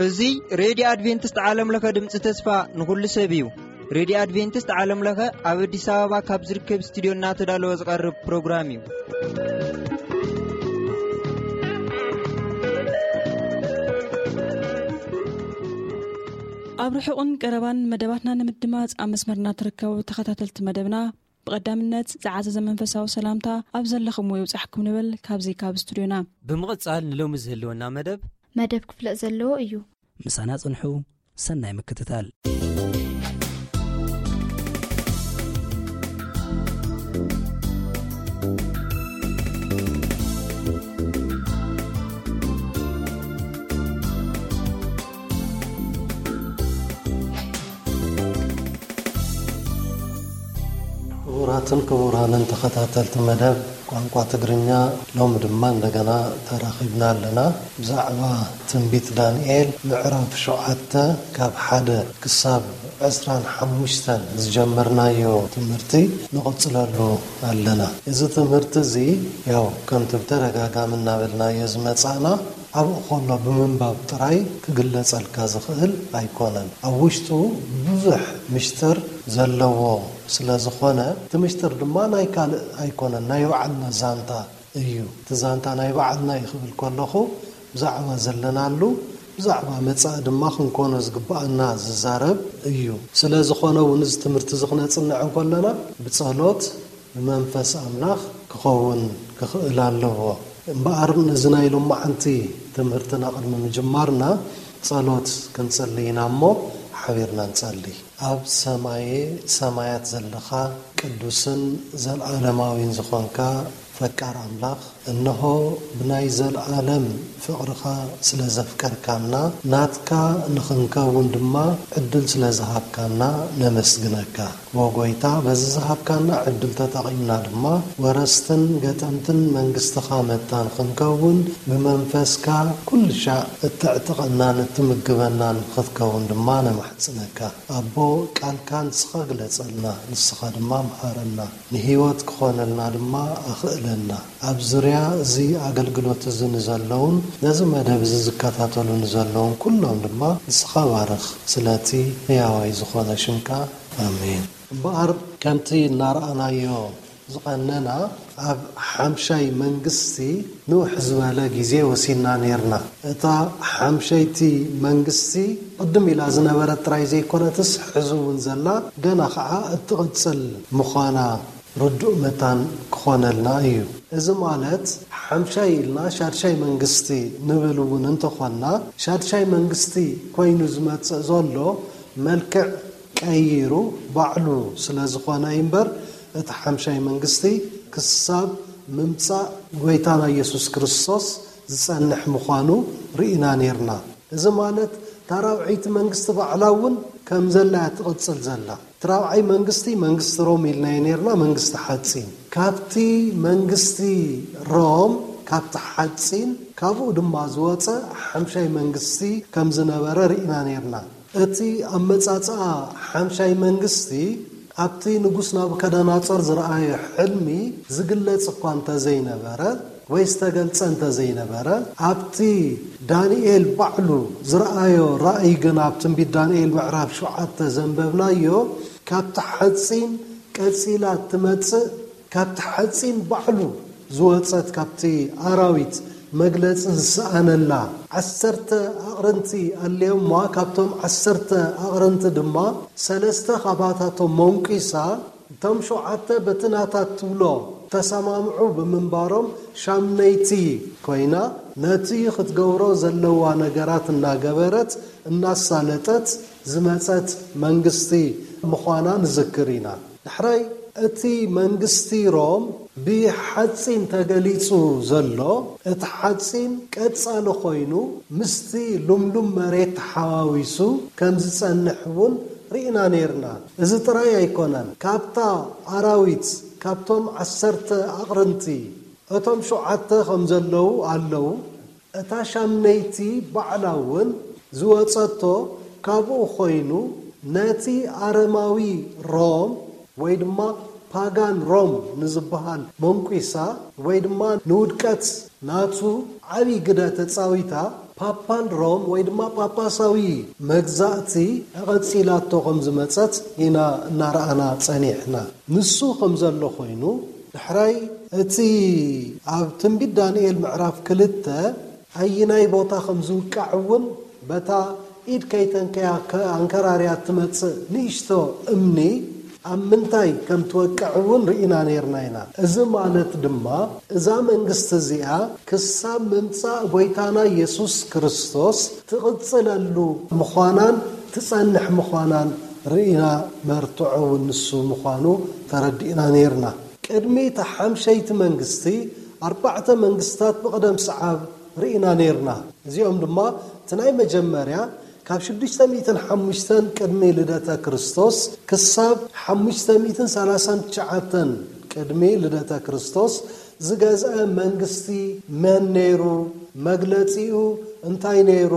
እዚ ሬድዮ ኣድቬንቲስት ዓለም ለኸ ድምፂ ተስፋ ንኹሉ ሰብ እዩ። ሬድዮ ኣድቬንቲስት ዓለም ለኸ ኣብ ኣዲስ ኣበባ ካብ ዝርከብ ስቱዲዮ እናተዳለወ ዝቐርብ ፕሮግራም እዩ። ኣብ ርሑቕን ቀረባን መደባትና ንምድማፅ ኣብ መስመርና ትርከቡ ተኸታተልቲ መደብና፣ ብቐዳምነት ዝዓዘዘ መንፈሳዊ ሰላምታ ኣብ ዘለኹምዎ ይብጻሕኩም ንብል ካብዚ ካብ ስቱዲዮና። ብምቕጻል ንሎሚ ዝህልወና መደብ መደብ ክፍለጥ ዘለዎ እዩ። ምሳና ጽንሑ። ሰናይ ምክትታል። ክቡራትን ክቡራንን ተኸታተልቲ መደብ ቋንቋ ትግርኛ፣ ሎሚ ድማ እንደገና ተራኺብና ኣለና። ብዛዕባ ትንቢት ዳንኤል ምዕራፍ ሸውዓተ ካብ ሓደ ክሳብ ዕስራን ሓሙሽተን ዝጀመርናዮ ትምህርቲ ንቕጽለሉ ኣለና። እዚ ትምህርቲ እዚ ያው ከምቲ ብተደጋጋሚ እናበልናዮ ዝመጻእና፣ ኣብኡ ከሎ ብምንባብ ጥራይ ክግለጸልካ ዝኽእል ኣይኮነን። ኣብ ውሽጡ ብዙሕ ምሽጥር ዘለዎ ስለ ዝኾነ፣ እቲ ምሽጥር ድማ ናይ ካልእ ኣይኮነን፣ ናይ ባዕልና ዛንታ እዩ። እቲ ዛንታ ናይ ባዕልና እዩ ክብል ከለኹ፣ ብዛዕባ ዘለናሉ፣ ብዛዕባ መጻኢ ድማ ክንኮኖ ዝግብኣና ዝዛረብ እዩ። ስለ ዝኾነ እውን፣ እዚ ትምህርቲ እዚ ክነጽንዕ እንከለና፣ ብጸሎት ብመንፈስ ኣምላኽ ክኸውን ክኽእል ኣለዎ። እምበኣር፣ ነዚ ናይ ሎማዓንቲ ትምህርትና ቅድሚ ምጅማርና፣ ጸሎት ክንጽሊ ኢና እሞ፣ ሓቢርና ንጸሊ። ኣብ ሰማየ ሰማያት ዘለኻ፣ ቅዱስን ዘለዓለማዊን ዝኾንካ ፈቃር ኣምላኽ፣ እንሆ፣ ብናይ ዘለዓለም ፍቕርኻ ስለ ዘፍቀርካና፣ ናትካ ንኽንከውን ድማ ዕድል ስለ ዝሃብካና ነመስግነካ። ዎ ጐይታ፣ በዚ ዝሃብካና ዕድል ተጠቒምና ድማ፣ ወረስትን ገጠምትን መንግስትኻ መታን ክንከውን፣ ብመንፈስካ ኩሉ ሻዕ እተዕጥቐናን እትምግበናን ክትከውን ድማ ነማሕጽነካ። ኣቦ፣ ቃልካ ንስኻ ግለጸልና፣ ንስኻ ድማ ምሃረና። ንህይወት ክኾነልና ድማ ኣኽእለና። ኣብ ዙርያ እዚ ኣገልግሎት እዚ ንዘለውን ነዚ መደብ እዚ ዝከታተሉ ንዘለውን ኩሎም ድማ ንስኻ ባርኽ። ስለቲ ህያዋይ ዝኾነ ሽምካ፣ ኣሜን። እምበኣር፣ ከምቲ እናረኣናዮ ዝቐነና፣ ኣብ ሓምሻይ መንግስቲ ንውሕ ዝበለ ግዜ ወሲና ኔርና። እታ ሓምሸይቲ መንግስቲ ቅድም ኢላ ዝነበረት ጥራይ ዘይኮነትስ፣ ሕዚ እውን ዘላ፣ ገና ኸዓ እትቕጽል ምዃና ርዱእ መታን ክኾነልና እዩ። እዚ ማለት፣ ሓምሻይ ኢልና ሻድሻይ መንግስቲ ንብል እውን እንተኾንና፣ ሻድሻይ መንግስቲ ኮይኑ ዝመጽእ ዘሎ መልክዕ ቀይሩ ባዕሉ ስለ ዝኾነ እዩ እምበር፣ እቲ ሓምሻይ መንግስቲ ክሳብ ምምጻእ ጐይታና ኢየሱስ ክርስቶስ ዝጸንሕ ምዃኑ ርኢና ኔርና። እዚ ማለት፣ እታ ራብዐይቲ መንግስቲ ባዕላ እውን ከም ዘላ እያ ትቕጽል ዘላ። እቲ ራብዓይ መንግስቲ፣ መንግስቲ ሮም ኢልናዮ ኔርና፣ መንግስቲ ሓጺን። ካብቲ መንግስቲ ሮም፣ ካብቲ ሓጺን፣ ካብኡ ድማ ዝወጸ ሓምሻይ መንግስቲ ከም ዝነበረ ርኢና ኔርና። እቲ ኣመጻጽኣ ሓምሻይ መንግስቲ ኣብቲ ንጉስ ናቡከደነጾር ዝረኣዮ ሕልሚ ዝግለጽ እኳ እንተዘይነበረ ወይ ዝተገልጸ እንተዘይነበረ፣ ኣብቲ ዳንኤል ባዕሉ ዝረኣዮ ራእይ ግን ኣብ ትንቢት ዳንኤል ምዕራፍ ሸውዓተ ዘንበብናዮ፣ ካብቲ ሓጺን ቀጺላ እትመጽእ፣ ካብቲ ሓጺን ባዕሉ ዝወጸት፣ ካብቲ ኣራዊት መግለጺ ዝሰኣነላ ዓሰርተ ኣቕርንቲ ኣለዮማ። ካብቶም ዓሰርተ ኣቕርንቲ ድማ ሰለስተ ካባታቶም መንቂሳ፣ እቶም ሸውዓተ በቲ ናታ ትብሎ ተሰማምዑ ብምንባሮም፣ ሻምነይቲ ኮይና፣ ነቲ ክትገብሮ ዘለዋ ነገራት እናገበረት፣ እናሳለጠት ዝመጸት መንግስቲ ምዃና ንዝክር ኢና። ዳሕራይ፣ እቲ መንግስቲ ሮም ብሓጺን ተገሊጹ ዘሎ፣ እቲ ሓጺን ቀጻሊ ኮይኑ ምስቲ ልምሉም መሬት ተሓዋዊሱ ከም ዝጸንሕ እውን ርኢና ኔርና። እዚ ጥራይ ኣይኮነን። ካብታ ኣራዊት፣ ካብቶም ዓሰርተ ኣቕርንቲ፣ እቶም ሸውዓተ ከም ዘለዉ ኣለዉ። እታ ሻምነይቲ ባዕላ እውን ዝወጸቶ ካብኡ ኮይኑ፣ ነቲ ኣረማዊ ሮም ወይ ድማ ፓጋን ሮም ንዝበሃል መንቂሳ ወይ ድማ ንውድቀት ናቱ ዓብዪ ግደ ተጻዊታ፣ ፓፓል ሮም ወይ ድማ ጳጳሳዊ መግዛእቲ ቀጺላቶ ከም ዝመጸት ኢና እናረኣና ጸኒሕና። ንሱ ከም ዘሎ ኮይኑ፣ ድሕራይ እቲ ኣብ ትንቢት ዳንኤል ምዕራፍ ክልተ ኣይናይ ቦታ ከም ዝውቃዕ እውን፣ በታ ኢድ ከይተንከያ ከ-፣ ኣንከራርያ ትመጽእ ንእሽቶ እምኒ ኣብ ምንታይ ከም ትወቅዕ እውን ርኢና ነይርና ኢና። እዚ ማለት ድማ፣ እዛ መንግስቲ እዚኣ ክሳብ ምምጻእ ጎይታና የሱስ ክርስቶስ ትቕጽለሉ ምዃናን ትጸንሕ ምዃናን ርኢና፣ መርትዖ እውን ንሱ ምዃኑ ተረዲእና ነይርና። ቅድሚ እታ ሓምሸይቲ መንግስቲ፣ ኣርባዕተ መንግስታት ብቕደም ሰዓብ ርኢና ነይርና። እዚኦም ድማ፣ እቲ ናይ መጀመርያ፣ ካብ ሽዱሽተ ሚእትን ሓሙሽተን ቅድሚ ልደተ ክርስቶስ ክሳብ ሓሙሽተ ሚእትን ሰላሳን ትሽዓተን ቅድሚ ልደተ ክርስቶስ ዝገዝአ መንግስቲ መን ነይሩ? መግለጺኡ እንታይ ነይሩ?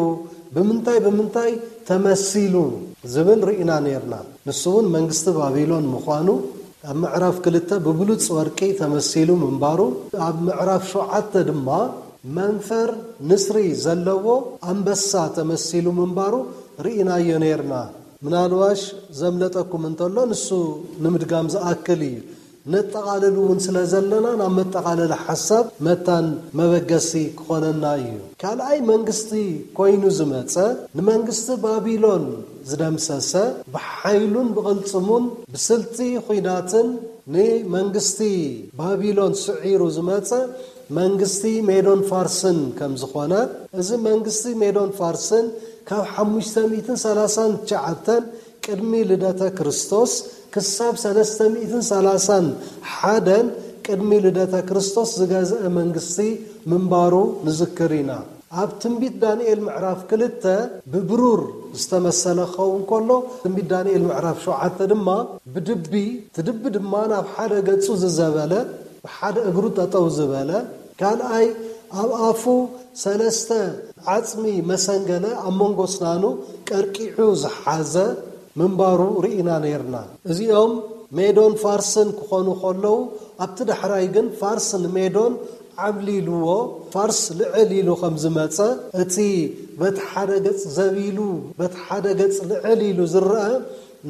ብምንታይ ብምንታይ ተመሲሉ? ዝብል ርኢና ነይርና። ንሱ እውን መንግስቲ ባቢሎን ምዃኑ ኣብ ምዕራፍ ክልተ ብብሉጽ ወርቂ ተመሲሉ ምንባሩ፣ ኣብ ምዕራፍ ሸውዓተ ድማ መንፈር ንስሪ ዘለዎ ኣንበሳ ተመሲሉ ምንባሩ ርኢናዮ ነይርና። ምናልባሽ ዘምለጠኩም እንተሎ፣ ንሱ ንምድጋም ዝኣክል እዩ። ነጠቓልል እውን ስለ ዘለና፣ ናብ መጠቓለሊ ሓሳብ መታን መበገሲ ክኾነና እዩ። ካልኣይ መንግስቲ ኮይኑ ዝመጸ፣ ንመንግስቲ ባቢሎን ዝደምሰሰ፣ ብሓይሉን ብቕልጽሙን ብስልቲ ኹናትን ንመንግስቲ ባቢሎን ስዒሩ ዝመጸ መንግስቲ ሜዶን ፋርስን ከም ዝኾነ፣ እዚ መንግስቲ ሜዶን ፋርስን ካብ ሓሙሽተ ሚእትን ሰላሳን ትሽዓተን ቅድሚ ልደተ ክርስቶስ ክሳብ ሰለስተ ሚእትን ሰላሳን ሓደን ቅድሚ ልደተ ክርስቶስ ዝገዝአ መንግስቲ ምንባሩ ንዝክር ኢና። ኣብ ትንቢት ዳንኤል ምዕራፍ ክልተ ብብሩር ዝተመሰለ ክኸውን ከሎ፣ ትንቢት ዳንኤል ምዕራፍ ሸውዓተ ድማ ብድቢ፣ እቲ ድቢ ድማ ናብ ሓደ ገጹ ዝዘበለ፣ ብሓደ እግሩ ጠጠው ዝበለ፣ ካልኣይ ኣብ ኣፉ ሰለስተ ዓጽሚ መሰንገለ ኣብ መንጎ ስናኑ ቀርቂዑ ዝሓዘ ምንባሩ ርኢና ነይርና። እዚኦም ሜዶን ፋርስን ክኾኑ ከለዉ፣ ኣብቲ ዳሕራይ ግን ፋርስ ንሜዶን ዓብሊልዎ፣ ፋርስ ልዕል ኢሉ ከም ዝመጸ፣ እቲ በቲ ሓደ ገጽ ዘቢሉ፣ በቲ ሓደ ገጽ ልዕል ኢሉ ዝረአ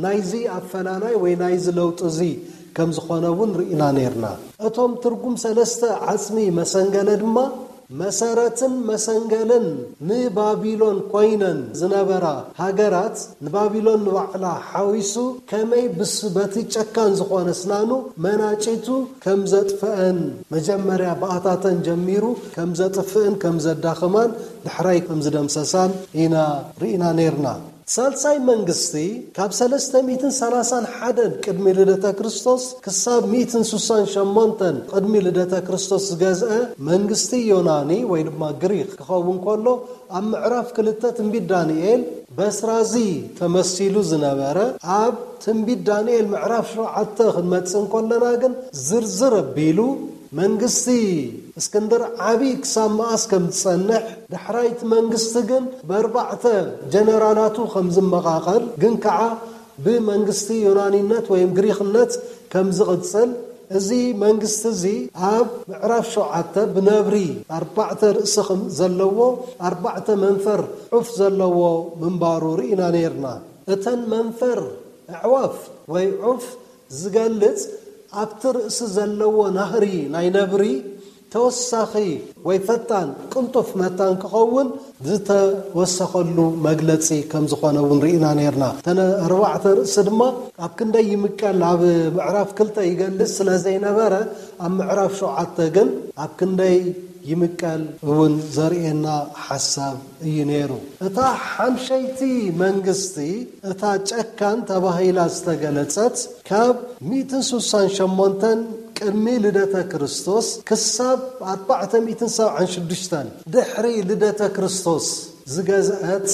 ናይዚ ኣፈላላይ ወይ ናይዚ ለውጢ እዚ ከም ዝኾነ እውን ርኢና ነይርና። እቶም ትርጉም ሰለስተ ዓጽሚ መሰንገለ ድማ፣ መሰረትን መሰንገልን ንባቢሎን ኮይነን ዝነበራ ሃገራት፣ ንባቢሎን ንባዕላ ሓዊሱ፣ ከመይ ብስ-፣ በቲ ጨካን ዝኾነ ስናኑ መናጭቱ ከም ዘጥፍአን፣ መጀመርያ ብኣታተን ጀሚሩ ከም ዘጥፍእን ከም ዘዳኽማን፣ ድሕራይ ከም ዝደምሰሳን ኢና ርኢና ነይርና። ሳልሳይ መንግስቲ፣ ካብ ሰለስተ ሚእትን ሰላሳን ሓደን ቅድሚ ልደተ ክርስቶስ ክሳብ ሚእትን ስሳን ሸሞንተን ቅድሚ ልደተ ክርስቶስ ዝገዝአ መንግስቲ ዮናኒ ወይ ድማ ግሪክ ክኸውን ከሎ፣ ኣብ ምዕራፍ ክልተ ትንቢት ዳንኤል በስራዚ ተመሲሉ ዝነበረ፣ ኣብ ትንቢት ዳንኤል ምዕራፍ ሸውዓተ ክንመጽእ እንከለና ግን ዝርዝር ኣቢሉ መንግስቲ እስክንድር ዓቢ ክሳብ መኣስ ከም ዝጸንሕ፣ ዳሕራይ እቲ መንግስቲ ግን ብኣርባዕተ ጀነራላቱ ከም ዝመቓቐል፣ ግን ከዓ ብመንግስቲ ዮናኒነት ወይም ግሪኽነት ከም ዝቕጽል፣ እዚ መንግስቲ እዚ ኣብ ምዕራፍ ሸውዓተ ብነብሪ ኣርባዕተ ርእሲ ከም ዘለዎ፣ ኣርባዕተ መንፈር ዑፍ ዘለዎ ምንባሩ ርኢና ነይርና። እተን መንፈር ኣዕዋፍ ወይ ዑፍ ዝገልጽ፣ ኣብቲ ርእሲ ዘለዎ ናህሪ ናይ ነብሪ ተወሳኺ ወይ ፈጣን፣ ቅልጡፍ መታን ክኸውን ዝተወሰኸሉ መግለጺ ከም ዝኾነ እውን ርኢና ነይርና። እተን ኣርባዕተ ርእሲ ድማ ኣብ ክንደይ ይምቀል ኣብ ምዕራፍ ክልተ ይገልጽ ስለ ዘይነበረ፣ ኣብ ምዕራፍ ሸውዓተ ግን ኣብ ክንደይ ይምቀል እውን ዘርእየና ሓሳብ እዩ ነይሩ። እታ ሓምሸይቲ መንግስቲ፣ እታ ጨካን ተባሂላ ዝተገለጸት፣ ካብ ሚእትን ስሳን ሸሞንተን ቅድሚ ልደተ ክርስቶስ ክሳብ ኣርባዕተ ሚእትን ሰብዓን ሽዱሽተን ድሕሪ ልደተ ክርስቶስ ዝገዝአት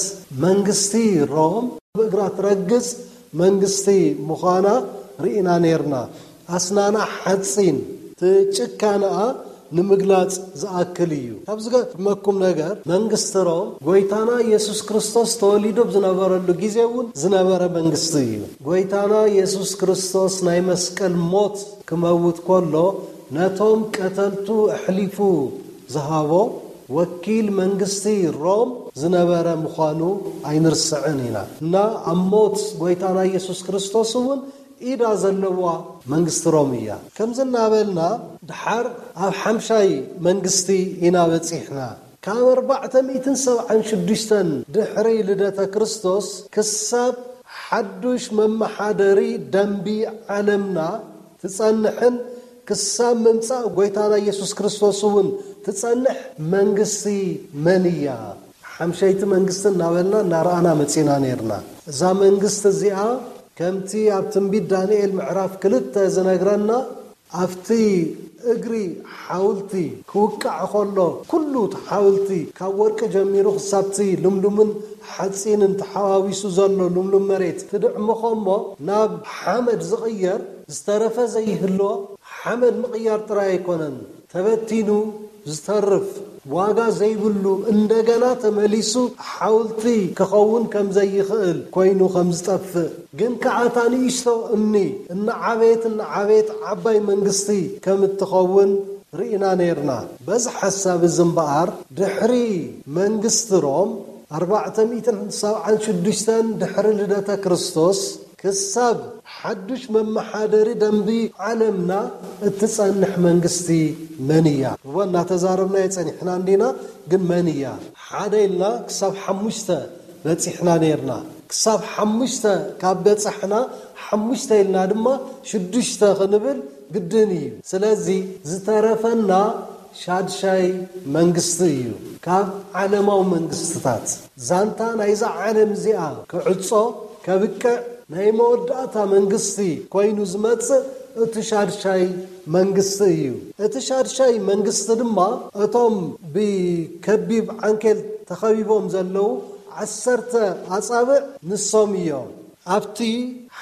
መንግስቲ ሮም፣ ብእግራ ትረግጽ መንግስቲ ምዃና ርኢና ነይርና። ኣስናና ሓጺን፣ እቲ ጭካነኣ ንምግላጽ ዝኣክል እዩ። ካብ ዝገርመኩም ነገር፣ መንግስቲ ሮም ጎይታና ኢየሱስ ክርስቶስ ተወሊዱ ኣብ ዝነበረሉ ግዜ እውን ዝነበረ መንግስቲ እዩ። ጎይታና ኢየሱስ ክርስቶስ ናይ መስቀል ሞት ክመውት ከሎ፣ ነቶም ቀተልቱ ኣሕሊፉ ዝሃቦ ወኪል መንግስቲ ሮም ዝነበረ ምዃኑ ኣይንርስዕን ኢና። እና ኣብ ሞት ጎይታና ኢየሱስ ክርስቶስ እውን ኢዳ ዘለዋ መንግስቲ ሮም እያ። ከምዚ እናበልና፣ ድሓር ኣብ ሓምሻይ መንግስቲ ኢና በጺሕና። ካብ ኣርባዕተ ሚእትን ሰብዓን ሽዱሽተን ድሕሪ ልደተ ክርስቶስ ክሳብ ሓዱሽ መመሓደሪ ደንቢ ዓለምና ትጸንሕን ክሳብ ምምጻእ ጎይታና ኢየሱስ ክርስቶስ እውን ትጸንሕ መንግስቲ መን እያ? ሓምሸይቲ መንግስቲ እናበልና እናረኣና መጺና ነይርና። እዛ መንግስቲ እዚኣ፣ ከምቲ ኣብ ትንቢት ዳንኤል ምዕራፍ ክልተ ዝነግረና፣ ኣብቲ እግሪ ሓውልቲ ክውቃዕ ከሎ፣ ኩሉ እቲ ሓውልቲ ካብ ወርቂ ጀሚሩ ክሳብቲ ልምሉምን ሓጺንን ተሓዋዊሱ ዘሎ ልምሉም መሬት ትድዕምኾ እሞ፣ ናብ ሓመድ ዝቕየር ዝተረፈ ዘይህሎ፣ ሓመድ ምቕያር ጥራይ ኣይኮነን፣ ተበቲኑ ዝተርፍ፣ ዋጋ ዘይብሉ፣ እንደገና ተመሊሱ ሓውልቲ ክኸውን ከም ዘይኽእል ኮይኑ ከም ዝጠፍእ፣ ግን ከኣ እታ ንእሽቶ እምኒ እናዓበየት እናዓበየት ዓባይ መንግስቲ ከም እትኸውን ርኢና ነይርና። በዚ ሓሳብ እዚ እምበኣር፣ ድሕሪ መንግስቲ ሮም፣ ኣርባዕተ ሚእትን ሰብዓን ሽዱሽተን ድሕሪ ልደተ ክርስቶስ፣ ክሳብ ሓዱሽ መመሓደሪ ደንቢ ዓለምና እትጸንሕ መንግስቲ መን እያ? እወ፣ እናተዛረብናዮ ጸኒሕና እንዲና፣ ግን መን እያ? ሓደ ኢልና ክሳብ ሓሙሽተ በጺሕና ነይርና። ክሳብ ሓሙሽተ ካብ በጻሕና፣ ሓሙሽተ ኢልና ድማ ሽዱሽተ ክንብል ግድን እዩ። ስለዚ ዝተረፈና ሻድሻይ መንግስቲ እዩ። ካብ ዓለማዊ መንግስትታት፣ ዛንታ ናይዛ ዓለም እዚኣ ክዕጾ፣ ከብቅዕ፣ ናይ መወዳእታ መንግስቲ ኮይኑ ዝመጽእ እቲ ሻድሻይ መንግስቲ እዩ። እቲ ሻድሻይ መንግስቲ ድማ እቶም ብከቢብ ዓንኬል ተኸቢቦም ዘለዉ ዓሰርተ ኣጻብዕ ንሶም እዮም። ኣብቲ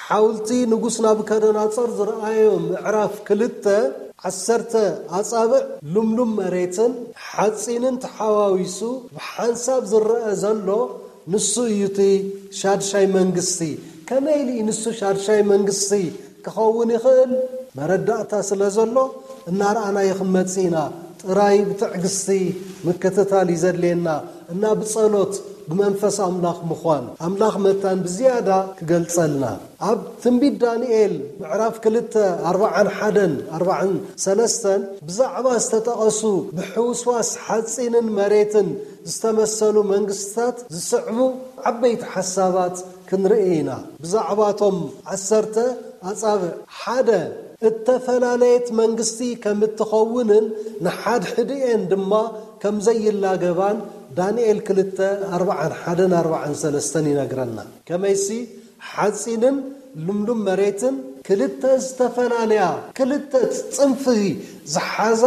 ሓውልቲ ንጉስ ናቡከደነጾር ዝረኣዮ ምዕራፍ ክልተ፣ ዓሰርተ ኣጻብዕ ልምሉም መሬትን ሓጺንን ተሓዋዊሱ ብሓንሳብ ዝረአ ዘሎ፣ ንሱ እዩ እቲ ሻድሻይ መንግስቲ። ከመይ ኢሉ እዩ ንሱ ሻድሻይ መንግስቲ ክኸውን ይኽእል? መረዳእታ ስለ ዘሎ እናረኣናዮ ክንመጽእ ኢና። ጥራይ ብትዕግስቲ ምክትታል እዩ ዘድልየና፣ እና ብጸሎት፣ ብመንፈስ ኣምላኽ ምዃን፣ ኣምላኽ መታን ብዝያዳ ክገልጸልና። ኣብ ትንቢት ዳንኤል ምዕራፍ ክልተ፣ ኣርባዓን ሓደን ኣርባዓን ሰለስተን ብዛዕባ ዝተጠቐሱ ብሕውስዋስ ሓጺንን መሬትን ዝተመሰሉ መንግስትታት ዝስዕቡ ዓበይቲ ሓሳባት ክንርኢ ኢና። ብዛዕባቶም ዓሰርተ ኣጻብዕ፣ ሓደ፣ እተፈላለየት መንግስቲ ከም እትኸውንን ንሓድሕድኤን ድማ ከም ዘይላገባን ዳንኤል ክልተ፣ ኣርባዓን ሓደን ኣርባዓን ሰለስተን ይነግረና። ከመይሲ፣ ሓጺንን ልምሉም መሬትን ክልተ ዝተፈላለያ፣ ክልተ ጽንፊ ዝሓዛ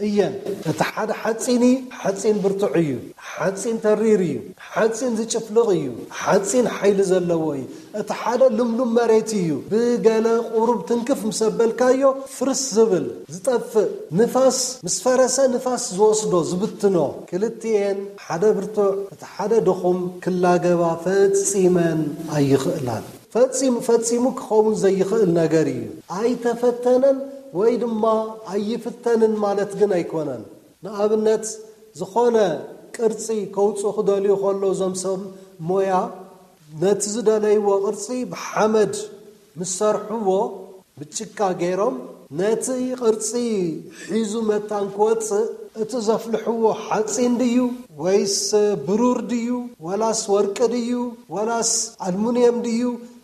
እየን። እቲ ሓደ ሓጺን እዩ፣ ሓጺን ብርቱዕ እዩ፣ ሓጺን ተሪር እዩ፣ ሓጺን ዝጭፍልቕ እዩ፣ ሓጺን ሓይሊ ዘለዎ እዩ። እቲ ሓደ ልምሉም መሬት እዩ። ብገለ ቁሩብ ትንክፍ ምስ ኣበልካዮ፣ ፍርስ ዝብል፣ ዝጠፍእ፣ ንፋስ ምስ ፈረሰ፣ ንፋስ ዝወስዶ፣ ዝብትኖ። ክልቲኤን፣ ሓደ ብርቱዕ፣ እቲ ሓደ ድኹም፣ ክላገባ ፈጺመን ኣይኽእላን። ፈጺሙ፣ ፈጺሙ ክኸውን ዘይኽእል ነገር እዩ። ኣይተፈተነን ወይ ድማ ኣይፍተንን ማለት ግን ኣይኮነን። ንኣብነት፣ ዝኾነ ቅርጺ ከውጽኡ ክደልዩ ከለዉ፣ እዞም ሰብ ሞያ፣ ነቲ ዝደለይዎ ቅርጺ ብሓመድ ምስ ሰርሕዎ፣ ብጭቃ ገይሮም፣ ነቲ ቅርጺ ሒዙ መታን ክወጽእ፣ እቲ ዘፍልሕዎ ሓጺን ድዩ ወይስ ብሩር ድዩ ወላስ ወርቂ ድዩ ወላስ ኣልሙንየም ድዩ፣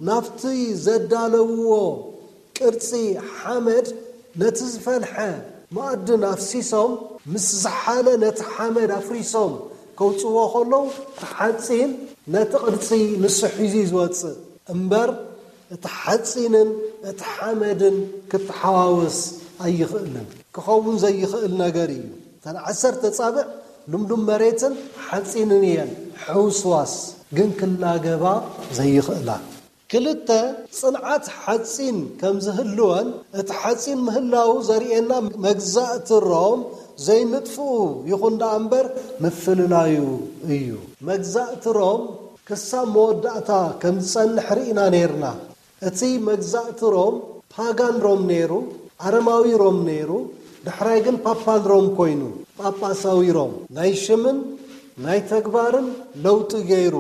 ናብቲ ዘዳለውዎ ቅርጺ ሓመድ፣ ነቲ ዝፈልሐ መኣድን ኣፍሲሶም፣ ምስ ዝሓለ ነቲ ሓመድ ኣፍሪሶም ከውጽዎ ከለዉ፣ እቲ ሓጺን ነቲ ቅርጺ ንሱ ሒዙ እዩ ዝወጽእ እምበር፣ እቲ ሓጺንን እቲ ሓመድን ክተሓዋወስ ኣይኽእልን። ክኸውን ዘይኽእል ነገር እዩ። እተን ዓሰርተ ኣጻብዕ ልምሉም መሬትን ሓጺንን እየን፣ ሕውስዋስ ግን ክላገባ ዘይኽእላ። ክልተ፣ ጽንዓት ሓጺን ከም ዝህልወን እቲ ሓጺን ምህላዉ ዘርእየና መግዛእቲ ሮም ዘይምጥፍኡ ይኹን ደኣ እምበር ምፍልላዩ እዩ። መግዛእቲ ሮም ክሳብ መወዳእታ ከም ዝጸንሕ ርኢና ነይርና። እቲ መግዛእቲ ሮም ፓጋን ሮም ነይሩ፣ ኣረማዊ ሮም ነይሩ፣ ዳሕራይ ግን ፓፓል ሮም ኮይኑ፣ ጳጳሳዊ ሮም ናይ ሽምን ናይ ተግባርን ለውጢ ገይሩ፣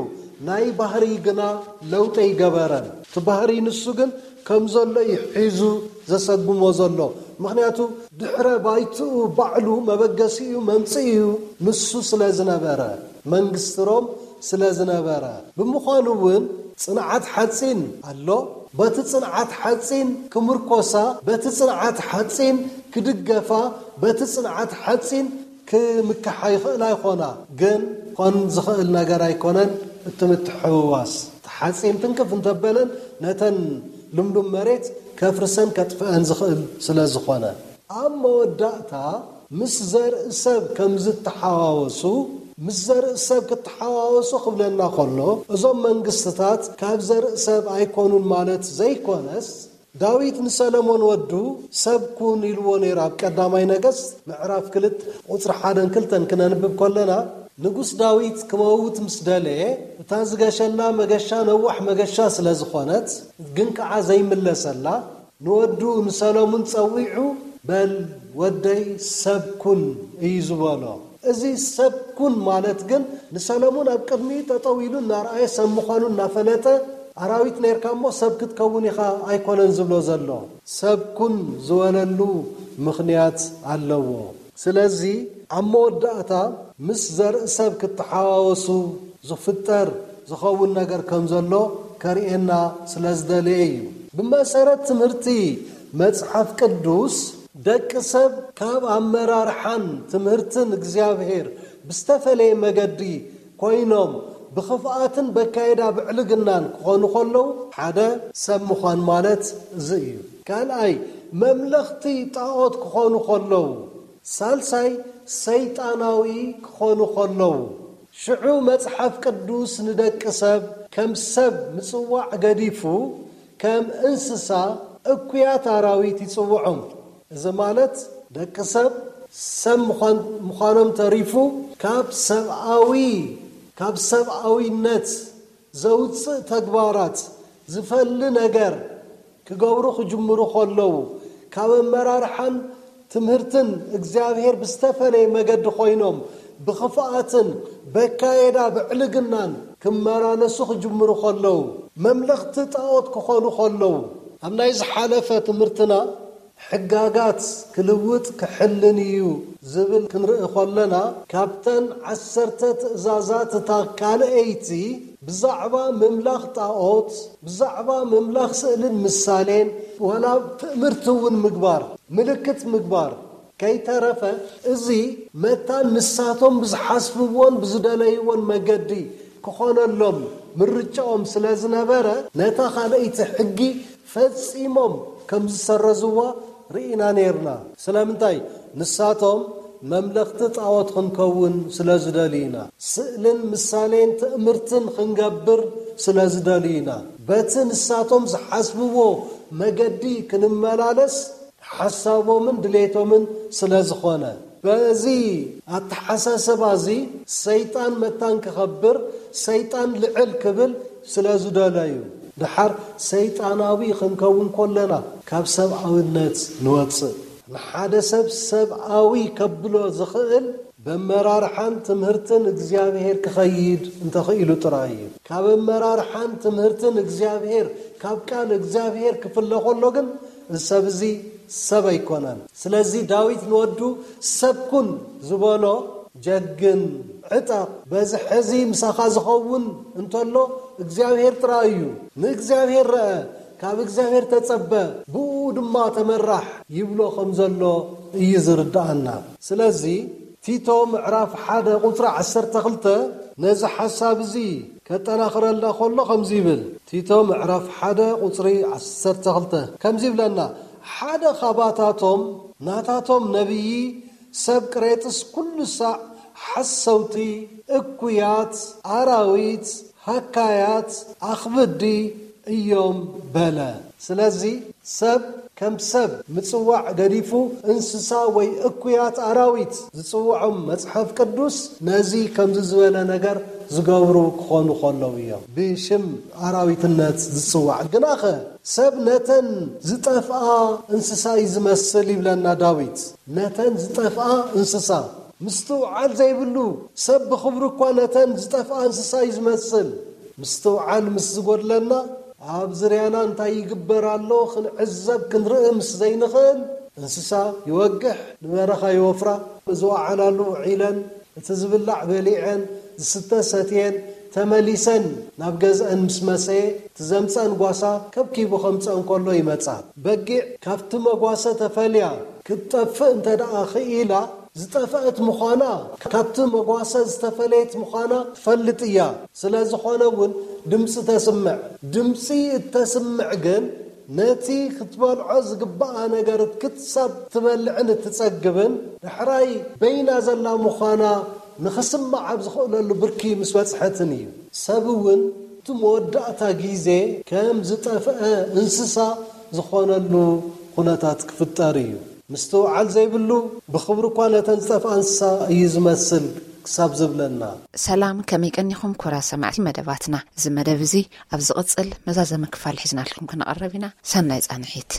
ናይ ባህሪ ግና ለውጢ ኣይገበረን። እቲ ባህሪ ንሱ ግን ከም ዘሎ እዩ ሒዙ ዘሰጉሞ ዘሎ። ምኽንያቱ ድሕረ ባይትኡ ባዕሉ መበገሲኡ መምጽኢኡ ንሱ ስለ ዝነበረ፣ መንግስቲ ሮም ስለ ዝነበረ። ብምዃኑ እውን ጽንዓት ሓጺን ኣሎ። በቲ ጽንዓት ሓጺን ክምርኮሳ፣ በቲ ጽንዓት ሓጺን ክድገፋ፣ በቲ ጽንዓት ሓጺን ክምክሓ ይኽእል ኣይኾና። ግን ኮን ዝኽእል ነገር ኣይኮነን። እቲ ምትሕውዋስ፣ እቲ ሓጺን ትንክፍ እንተበለን ነተን ልምሉም መሬት ከፍርሰን ከጥፍአን ዝኽእል ስለ ዝኾነ። ኣብ መወዳእታ ምስ ዘርኢ ሰብ ከም ዝተሓዋወሱ፣ ምስ ዘርኢ ሰብ ክተሓዋወሱ ክብለና ከሎ፣ እዞም መንግስትታት ካብ ዘርኢ ሰብ ኣይኮኑን ማለት ዘይኮነስ፣ ዳዊት ንሰለሞን ወዱ ሰብ ኩን ኢልዎ ነይሩ። ኣብ ቀዳማይ ነገስት ምዕራፍ ክልተ ቁጽሪ ሓደን ክልተን ክነንብብ ከለና፣ ንጉስ ዳዊት ክመውት ምስ ደለየ፣ እታ ዝገሸላ መገሻ ነዋሕ መገሻ ስለ ዝኾነት፣ ግን ከዓ ዘይምለሰላ፣ ንወዱ ንሰለሙን ጸዊዑ፣ "በል ወደይ ሰብ ኩን" እዩ ዝበሎ። እዚ ሰብ ኩን ማለት ግን ንሰለሙን ኣብ ቅድሚኡ ጠጠው ኢሉ እናረኣየ ሰብ ምዃኑ እናፈለጠ፣ "ኣራዊት ነርካ እሞ ሰብ ክትከውን ኢኻ" ኣይኮነን ዝብሎ ዘሎ። ሰብ ኩን ዝበለሉ ምኽንያት ኣለዎ። ስለዚ ኣብ መወዳእታ ምስ ዘርኢ ሰብ ክትሓዋወሱ ዝፍጠር ዝኸውን ነገር ከም ዘሎ ከርእየና ስለ ዝደለየ እዩ። ብመሰረት ትምህርቲ መጽሓፍ ቅዱስ፣ ደቂ ሰብ ካብ ኣመራርሓን ትምህርትን እግዚኣብሔር ብዝተፈለየ መገዲ ኮይኖም ብኽፍኣትን በካይዳ ብዕልግናን ክኾኑ ከለዉ፣ ሓደ ሰብ ምዃን ማለት እዚ እዩ። ካልኣይ፣ መምለኽቲ ጣዖት ክኾኑ ከለዉ፣ ሳልሳይ፣ ሰይጣናዊ ክኾኑ ከለዉ። ሽዑ መጽሓፍ ቅዱስ ንደቂ ሰብ ከም ሰብ ምጽዋዕ ገዲፉ፣ ከም እንስሳ፣ እኩያት ኣራዊት ይጽውዖም። እዚ ማለት ደቂ ሰብ ሰብ ምዃን-፣ ምዃኖም ተሪፉ፣ ካብ ሰብኣዊ፣ ካብ ሰብኣዊነት ዘውጽእ ተግባራት ዝፈሊ ነገር ክገብሩ ክጅምሩ ከለዉ፣ ካብ ኣመራርሓን ትምህርትን እግዚኣብሔር ብዝተፈለየ መገዲ ኮይኖም፣ ብኽፍኣትን በካየዳ ብዕልግናን ክመላለሱ ክጅምሩ ከለዉ፣ መምለኽቲ ጣዖት ክኾኑ ከለዉ፣ ኣብ ናይ ዝሓለፈ ትምህርትና ሕጋጋት ክልውጥ ክሕልን እዩ ዝብል ክንርኢ ከለና፣ ካብተን ዓሰርተ ትእዛዛት እታ ካልኣይቲ ብዛዕባ ምምላኽ ጣዖት፣ ብዛዕባ ምምላኽ ስእልን ምሳሌን፣ ወላ ትእምርቲ እውን ምግባር፣ ምልክት ምግባር፣ ከይተረፈ እዚ መታን ንሳቶም ብዝሓስብዎን ብዝደለይዎን መገዲ ክኾነሎም ምርጫኦም ስለ ዝነበረ፣ ነታ ካልኣይቲ ሕጊ ፈጺሞም ከም ዝሰረዝዋ ርኢና ነይርና። ስለምንታይ? ንሳቶም መምለኽቲ ጣዖት ክንከውን ስለ ዝደልዩ ኢና። ስእልን ምሳሌን ትእምርትን ክንገብር ስለ ዝደልዩ ኢና። በቲ ንሳቶም ዝሓስብዎ መገዲ ክንመላለስ ሓሳቦምን ድሌቶምን ስለ ዝኾነ፣ በዚ ኣተሓሳስባ እዚ ሰይጣን መታን ክኸብር፣ ሰይጣን ልዕል ክብል ስለ ዝደለዩ፣ ድሓር ሰይጣናዊ ክንከውን ከለና ካብ ሰብኣውነት ንወጽእ። ንሓደ ሰብ ሰብኣዊ ከብሎ ዝኽእል በመራርሓን ትምህርትን እግዚኣብሔር ክኸይድ እንተኽኢሉ ጥራይ እዩ። ካብ ኣመራርሓን ትምህርትን እግዚኣብሔር፣ ካብ ቃል እግዚኣብሔር ክፍለ ከሎ ግን፣ እዚ ሰብ እዚ ሰብ ኣይኮነን። ስለዚ ዳዊት ንወዱ ሰብ ኩን ዝበሎ፣ ጀግን፣ ዕጠቕ፣ በዚ ሕዚ ምሳኻ ዝኸውን እንተሎ እግዚኣብሔር ጥራይ እዩ። ንእግዚኣብሔር ረአ፣ ካብ እግዚኣብሔር ተጸበ፣ ብኡ ድማ ተመራሕ ይብሎ ከም ዘሎ እዩ ዝርድኣና። ስለዚ ቲቶ ምዕራፍ ሓደ ቁጽሪ ዓሰርተ ክልተ ነዚ ሓሳብ እዚ ከጠናኽረልና ከሎ ከምዚ ይብል። ቲቶ ምዕራፍ ሓደ ቁጽሪ ዓሰርተ ክልተ ከምዚ ይብለና፣ ሓደ ካባታቶም፣ ናታቶም ነቢዪ፣ ሰብ ቅሬጥስ ኩሉ ሳዕ ሓሰውቲ፣ እኩያት፣ ኣራዊት፣ ሃካያት፣ ኣኽብዲ፣ እዮም በለ። ስለዚ ሰብ ከም ሰብ ምጽዋዕ ገዲፉ እንስሳ ወይ እኩያት ኣራዊት ዝጽውዖም መጽሓፍ ቅዱስ ነዚ ከምዚ ዝበለ ነገር ዝገብሩ ክኾኑ ከለዉ እዮም። ብሽም ኣራዊትነት ዝጽዋዕ ግናኸ ሰብ ነተን ዝጠፍኣ እንስሳ እዩ ዝመስል ይብለና ዳዊት። ነተን ዝጠፍኣ እንስሳ ምስትውዓል ዘይብሉ ሰብ ብኽብሩ እኳ ነተን ዝጠፍኣ እንስሳ እዩ ዝመስል። ምስትውዓል ምስ ዝጎድለና ኣብ ዝርያና እንታይ ይግበር ኣሎ ክንዕዘብ ክንርኢ ምስ ዘይንኽእል እንስሳ ይወግሕ፣ ንበረኻ ይወፍራ፣ ዝወዓላሉ ውዒለን እቲ ዝብላዕ በሊዐን ዝስተ ሰትየን ተመሊሰን ናብ ገዝአን ምስ መሰየ እቲ ዘምፀን ጓሳ ከብኪቡ ከምፀን ከሎ ይመፃ። በጊዕ ካብቲ መጓሰ ተፈልያ ክትጠፍእ እንተ ደኣ ክኢላ ዝጠፍአት ምዃና ካብቲ መጓሰ ዝተፈለየት ምዃና ትፈልጥ እያ። ስለ ዝኾነ እውን ድምፂ ተስምዕ። ድምፂ እተስምዕ ግን ነቲ ክትበልዖ ዝግባኣ ነገር ክሳብ ትበልዕን እትጸግብን ዳሕራይ በይና ዘላ ምዃና ንኽስምዓ ኣብ ዝኽእለሉ ብርኪ ምስ በጽሐትን እዩ። ሰብ እውን እቲ መወዳእታ ግዜ ከም ዝጠፍአ እንስሳ ዝኾነሉ ኩነታት ክፍጠር እዩ። ምስትውዓል ዘይብሉ ብኽብሪ እኳ ነተን ዝጠፍኣ እንስሳ እዩ ዝመስል ክሳብ ዝብለና። ሰላም፣ ከመይ ቀኒኹም ኩራ ሰማዕቲ መደባትና? እዚ መደብ እዚ ኣብ ዝቕጽል መዛዘሚ ክፋል ሒዝናልኩም ክንቐርብ ኢና። ሰናይ ጻንሒት።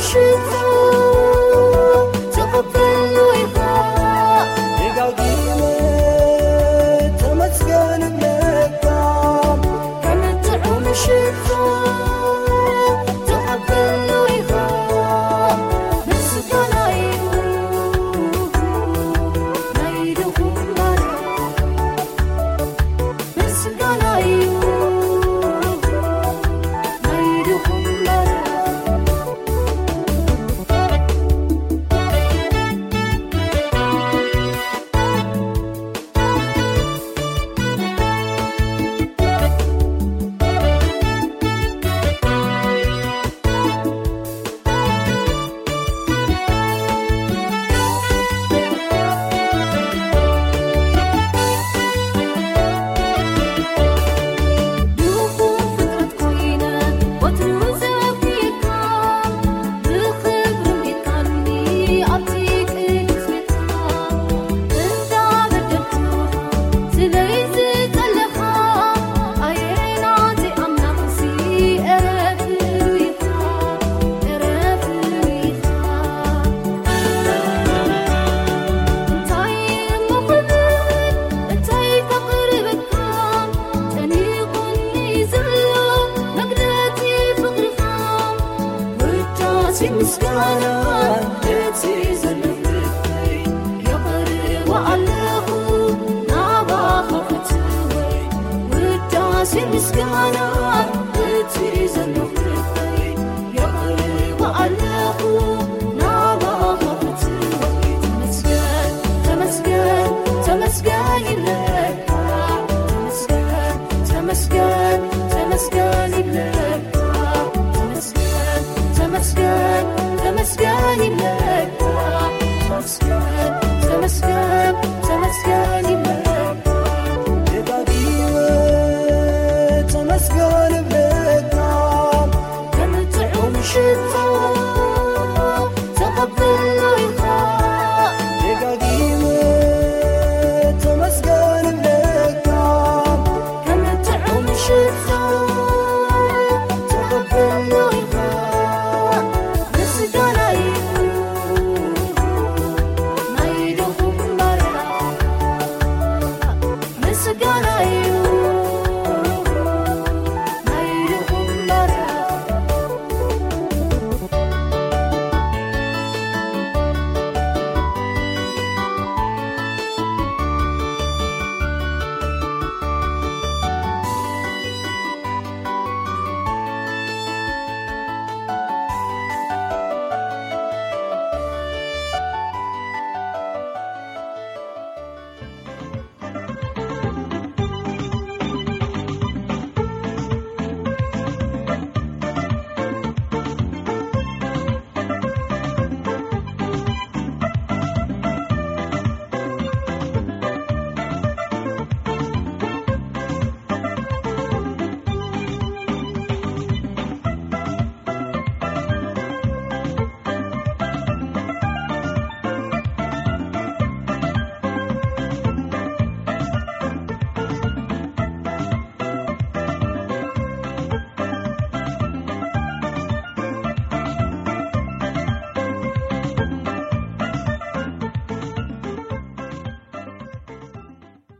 ሽቶ ተቐበልኑ ኢኻ። ደጋጊመ ተመስገን እብለካ። ከም ጥዑም ሽቶ ተቐበልኑ ኢኻ። ምስጋና እዩ ናይ ድኹም ባርያ። ምስጋና እዩ ናይ ድኹም ባርያ። ድኹም ፍጥረት ኮይነ ወትሩ ዘፍቅረካ፣ ብኽብሪ ጌታኒ ኣብቲ ቅዱስ ቤትካ። እንዳበደልኩኻ ስለይ ዝጸለኻ፣ ኣየ ናተይ ኣምላኽሲ፣ እረ ፍሉይ ኢኻ፣ እረ ፍሉይ ኢኻ። እንታይ እሞ ክብል፣ እንታይ ከቕርበልካ፣ ጨኒቑኒ ዘሎ መግለጺ ፍቕርኻ። ውዳሴ ምስጋና እቲ ዘሎ ልበይ የቕርቦ ኣለኹ ናባኻ ፍትወይ። ውዳሴ ምስጋና እቲ ዘሎ ልበይ የቕርቦ ኣለኹ ናባኻ ፍትወይ። ተመስገን፣ ተመስገን፣ ተመስገን ይብለካ። ተመስገን፣ ተመስገን፣ ተመስገን ይብለካ። ተመስገን፣ ተመስገን፣ ተመስገን ይብለካ። ተመስገን፣ ተመስገን፣ ተመስገን